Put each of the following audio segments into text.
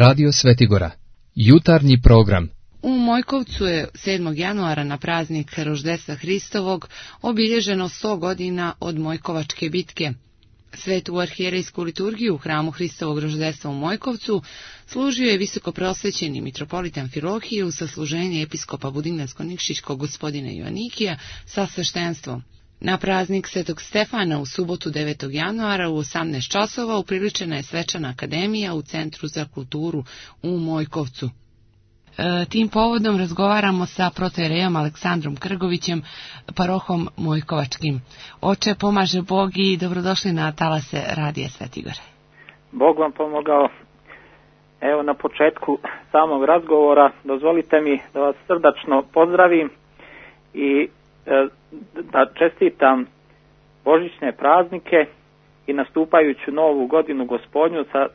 Radio Svetigora. Jutarnji program. U Mojkovcu je 7. januara na praznik Roždestva Hristovog obilježeno 100 godina od Mojkovačke bitke. Svetu arhijerejsku liturgiju u hramu Hristovog Roždestva u Mojkovcu služio je visokoprosvećeni mitropolit Amfilohije uz sasluženje episkopa Budimljansko-Nikšićkog gospodina Joanikija sa sveštenstvom. Na praznik Svetog Stefana u subotu 9. januara u 18 časova upriličena je svečana akademija u Centru za kulturu u Mojkovcu. Tim povodom razgovaramo sa protoierejom Aleksandrom Krgovićem, parohom Mojkovačkim. Oče, pomaže Bog i dobrodošli na talase Radija Svetigore. Bog vam pomogao. Evo na početku samog razgovora dozvolite mi da vas srdačno pozdravim i da čestitam božićne praznike i nastupajuću novu godinu Gospodnju sa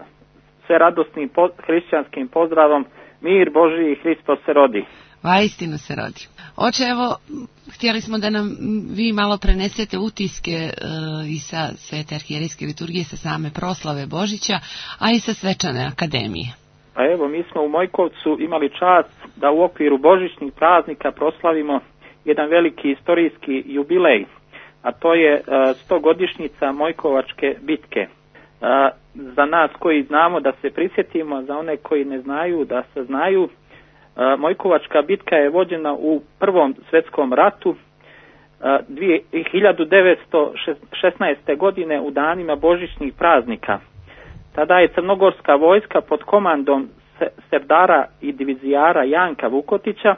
sve radosnim hrišćanskim pozdravom: mir Božiji, Hristos se rodi. Vaistinu se rodi. Oče, evo, htjeli smo da nam vi malo prenesete utiske i sa Svete arhijerejske liturgije, sa same proslave Božića, a i sa svečane akademije. Pa evo, mi smo u Mojkovcu imali čast da u okviru božićnih praznika proslavimo jedan veliki istorijski jubilej, a to je 100-godišnjica Mojkovačke bitke. Za nas koji znamo da se prisjetimo, za one koji ne znaju da se znaju, Mojkovačka bitka je vođena u Prvom svjetskom ratu 1916. godine u danima božićnih praznika. Tada je crnogorska vojska pod komandom serdara i divizijara Janka Vukotića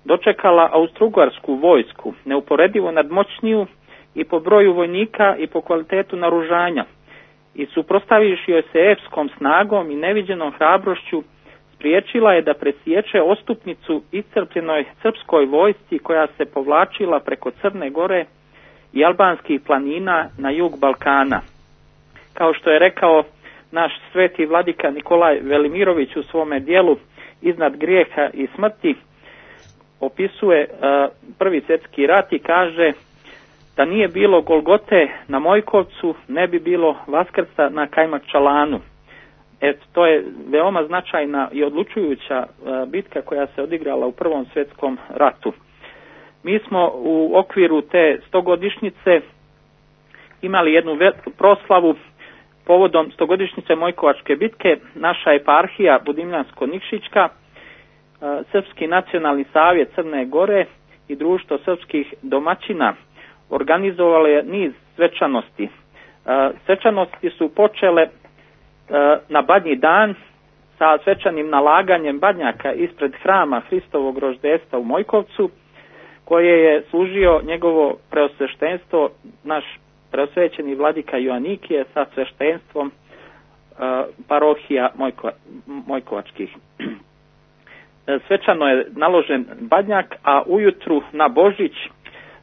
dočekala austrougarsku vojsku, neuporedivo nadmoćniju i po broju vojnika i po kvalitetu naoružanja, i suprotstavivši joj se epskom snagom i neviđenom hrabrošću spriječila je da presječe ostupnicu iscrpljenoj srpskoj vojsci koja se povlačila preko Crne Gore i albanskih planina na jug Balkana. Kao što je rekao naš sveti vladika Nikolaj Velimirović u svome dijelu Iznad grijeha i smrti, opisuje Prvi svjetski rat i kaže: da nije bilo Golgote na Mojkovcu, ne bi bilo Vaskrsa na Kajmakčalanu. To je veoma značajna i odlučujuća bitka koja se odigrala u Prvom svjetskom ratu. Mi smo u okviru te 100-godišnjice imali jednu proslavu povodom 100-godišnjice Mojkovačke bitke. Naša eparhija Budimljansko-Nikšićka, Srpski nacionalni savjet Crne Gore i Društvo srpskih domaćina organizovalo je niz svečanosti. Svečanosti su počele na Badnji dan sa svečanim nalaganjem badnjaka ispred hrama Hristovog Roždestva u Mojkovcu, koje je služio njegovo preosveštenstvo, naš preosvećeni vladika Joanikije sa sveštenstvom parohija Mojkovačkih. Svečano je naložen badnjak, a ujutru na Božić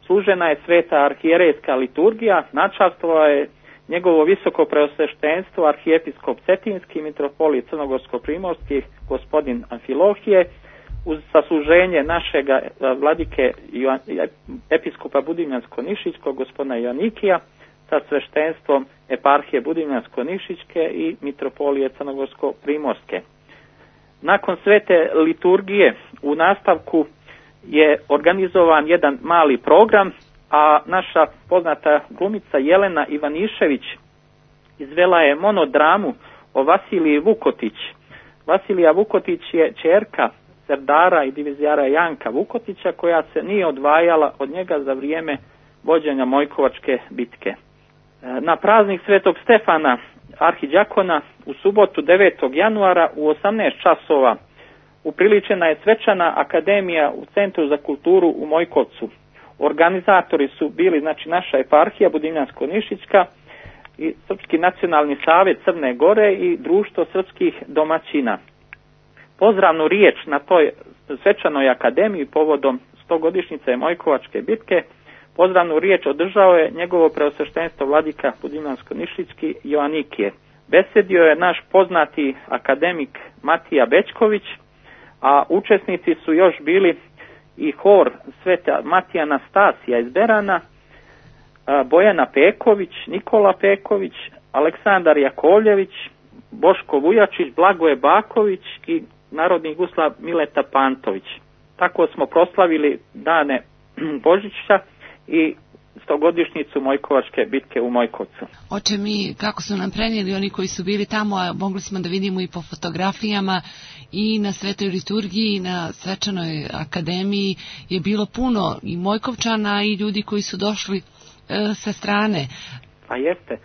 služena je Sveta arhijerejska liturgija. Načastvovao je njegovo visoko preosveštenstvo arhijepiskop Cetinski, mitropolit Crnogorsko-Primorski gospodin Amfilohije, uz sasluženje našega vladike episkopa Budimljansko-Nišićkog gospodina Joanikija sa sveštenstvom eparhije Budimljansko-Nišićke i mitropolije Crnogorsko-Primorske. Nakon svete liturgije u nastavku je organizovan jedan mali program, a naša poznata glumica Jelena Ivanišević izvela je monodramu o Vasiliji Vukotić. Vasilija Vukotić je ćerka serdara i divizijara Janka Vukotića, koja se nije odvajala od njega za vrijeme vođenja Mojkovačke bitke. Na praznik Svetog Stefana arhidjakona u subotu 9. januara u 18 časova upriličena je svečana akademija u Centru za kulturu u Mojkovcu. Organizatori su bili naša eparhija Budimljansko-Nišićka i Srpski nacionalni savjet Crne Gore i Društvo srpskih domaćina. Pozdravnu riječ na toj svečanoj akademiji povodom 100-godišnjice Mojkovačke bitke, pozdravnu riječ održao je njegovo preosveštenstvo vladika Budimljansko-Nišićki Joanikije. Besedio je naš poznati akademik Matija Bećković, a učesnici su još bili i hor Sveta Matija Anastasija iz Berana, Bojana Peković, Nikola Peković, Aleksandar Jakovljević, Boško Vujačić, Blagoje Baković i narodni guslar Mileta Pantović. Tako smo proslavili dane Božića i 100-godišnjicu Mojkovačke bitke u Mojkovcu. Oče, mi kako su nam prenijeli oni koji su bili tamo, a mogli smo da vidimo i po fotografijama i na Svetoj liturgiji i na Svečanoj akademiji je bilo puno i Mojkovčana i ljudi koji su došli sa strane. Pa jeste.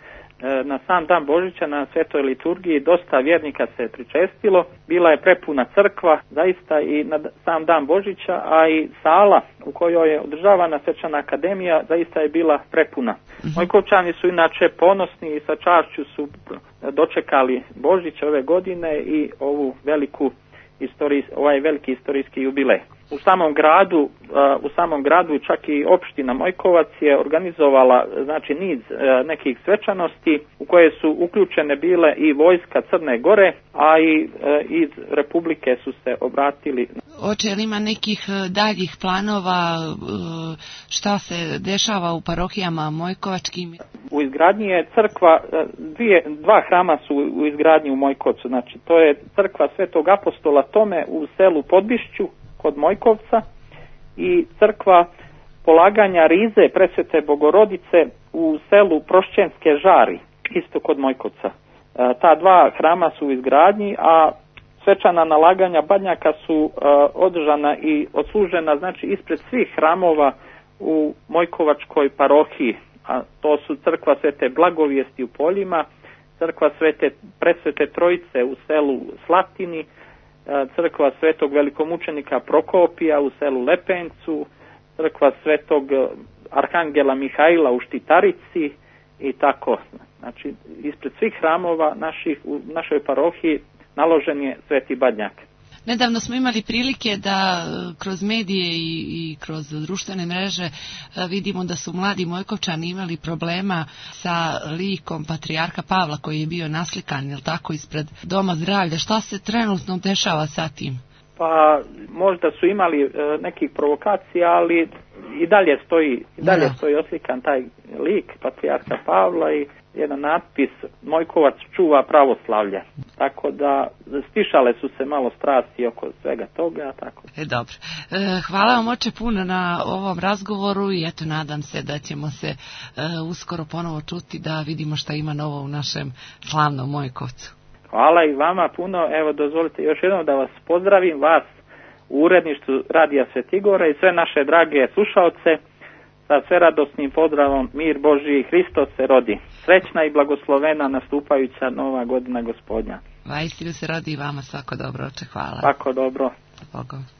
Na sam dan Božića na Svetoj liturgiji dosta vjernika se pričestilo, bila je prepuna crkva zaista i na sam dan Božića, a i sala u kojoj je održavana Svečana akademija zaista je bila prepuna. Mojkovčani su inače ponosni i sa čašću su dočekali Božić ove godine i ovaj veliki istorijski jubilej. U samom gradu čak i opština Mojkovac je organizovala znači niz nekih svečanosti u koje su uključene bile i vojska Crne Gore, a i iz Republike su se obratili. Oče, li ima nekih daljih planova šta se dešava u parohijama mojkovačkim? U izgradnji je crkva, dva hrama su u izgradnji u Mojkovcu, znači to je crkva Svetog apostola Tome u selu Podbišću kod Mojkovca i crkva polaganja rize Presvete Bogorodice u selu Prošćenske Žari, isto kod Mojkovca. Ta dva hrama su u izgradnji, a svečana nalaganja badnjaka su održana i odslužena znači ispred svih hramova u Mojkovačkoj parohiji, a to su crkva Svete Blagovijesti u Poljima, crkva Presvete Trojice u selu Slatini, crkva Svetog velikomučenika Prokopija u selu Lepencu, crkva Svetog Arhangela Mihajla u Štitarici i tako. Znači, ispred svih hramova u našoj parohiji naložen je Sveti badnjak. Nedavno smo imali prilike da kroz medije i kroz društvene mreže vidimo da su mladi Mojkovčani imali problema sa likom patrijarha Pavla koji je bio naslikan, jel tako, ispred Doma zdravlja. Šta se trenutno dešava sa tim? Pa možda su imali nekih provokacija, ali i dalje stoji oslikan taj lik patrijarha Pavla i jedan natpis Mojkovac čuva pravoslavlje. Tako da stišale su se malo strasti oko svega toga. Tako. Dobro. Hvala vam, oče, puno na ovom razgovoru i eto, nadam se da ćemo se uskoro ponovo čuti da vidimo šta ima novo u našem slavnom Mojkovcu. Hvala i vama puno. Evo, dozvolite još jednom da vas pozdravim, vas u uredništvu Radija Svetigora i sve naše drage slušaoce sa sveradosnim pozdravom mir Božji, Hristos se rodi. Srećna i blagoslovena nastupajuća nova godina Gospodnja. Vajstinu se rodi i vama svako dobro, oče, hvala. Svako dobro. Bogom.